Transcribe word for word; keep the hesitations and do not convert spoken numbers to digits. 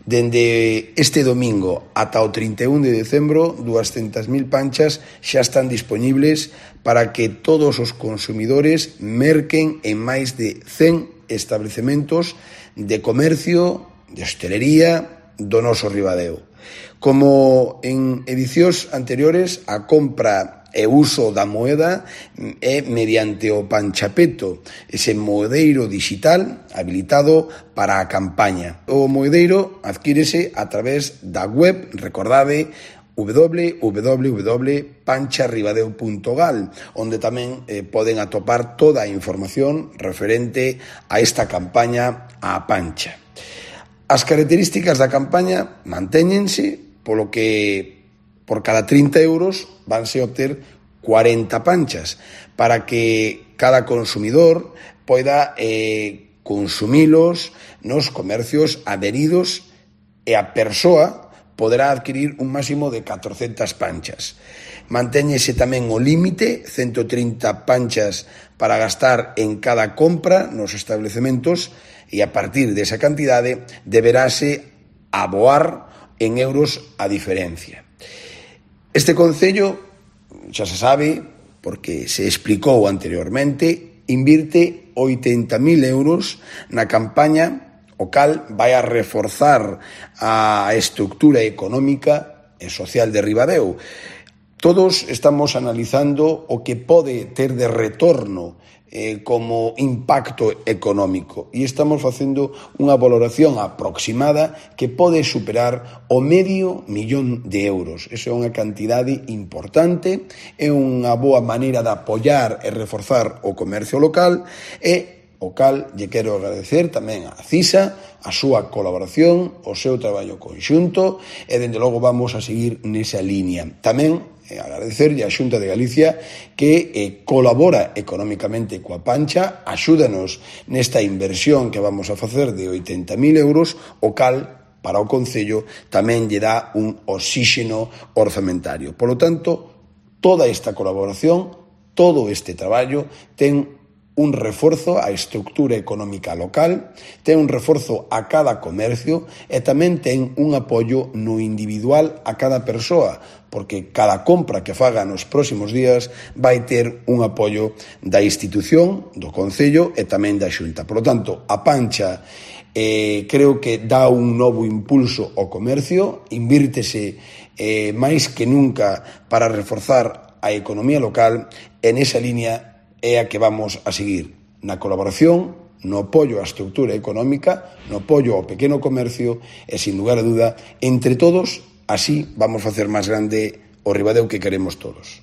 Dende este domingo ata o trinta e un de decembro, doscientas mil panchas xa están dispoñibles para que todos os consumidores merquen en máis de cen establecementos de comercio, de hostelería do noso Ribadeo. Como en edicións anteriores, a compra e uso da moeda é mediante o Panchapeto, ese moedeiro digital habilitado para a campaña. O moedeiro adquírese a través da web, recordade, w w w punto pancharribadeo punto gal, onde tamén eh, poden atopar toda a información referente a esta campaña á pancha. As características da campaña mantéñense, polo que por cada trinta euros vanse a obter cuarenta panchas para que cada consumidor poida eh, consumilos nos comercios adheridos e a persoa poderá adquirir un máximo de catrocentas panchas. Mantéñese tamén o límite, ciento trinta panchas para gastar en cada compra nos establecementos e a partir desa cantidade deberase aboar en euros a diferencia. Este concello, xa se sabe, porque se explicou anteriormente, invirte oitenta mil euros na campaña, o cal vai a reforzar a estructura económica e social de Ribadeo. Todos estamos analizando o que pode ter de retorno eh, como impacto económico e estamos facendo unha valoración aproximada que pode superar o medio millón de euros. Esa é unha cantidade importante, é unha boa maneira de apoiar e reforzar o comercio local e o cal lle quero agradecer tamén a CISA a súa colaboración, o seu traballo conxunto e dende logo vamos a seguir nesa línea. Tamén eh, agradecerlle á Xunta de Galicia que eh, colabora económicamente coa pancha, axúdanos nesta inversión que vamos a facer de oitenta mil euros, o cal para o Concello tamén lle dá un oxíxeno orzamentario. Por lo tanto, toda esta colaboración, todo este traballo ten un reforzo á estructura económica local, ten un reforzo a cada comercio e tamén ten un apoio no individual a cada persoa, porque cada compra que faga nos próximos días vai ter un apoio da institución, do Concello e tamén da Xunta. Por lo tanto, a pancha eh, creo que dá un novo impulso ao comercio, invírtese eh, máis que nunca para reforzar a economía local e nesa línea é a que vamos a seguir na colaboración, no apoio á estructura económica, no apoio ao pequeno comercio e, sin lugar a duda, entre todos, así vamos facer máis grande o Ribadeo que queremos todos.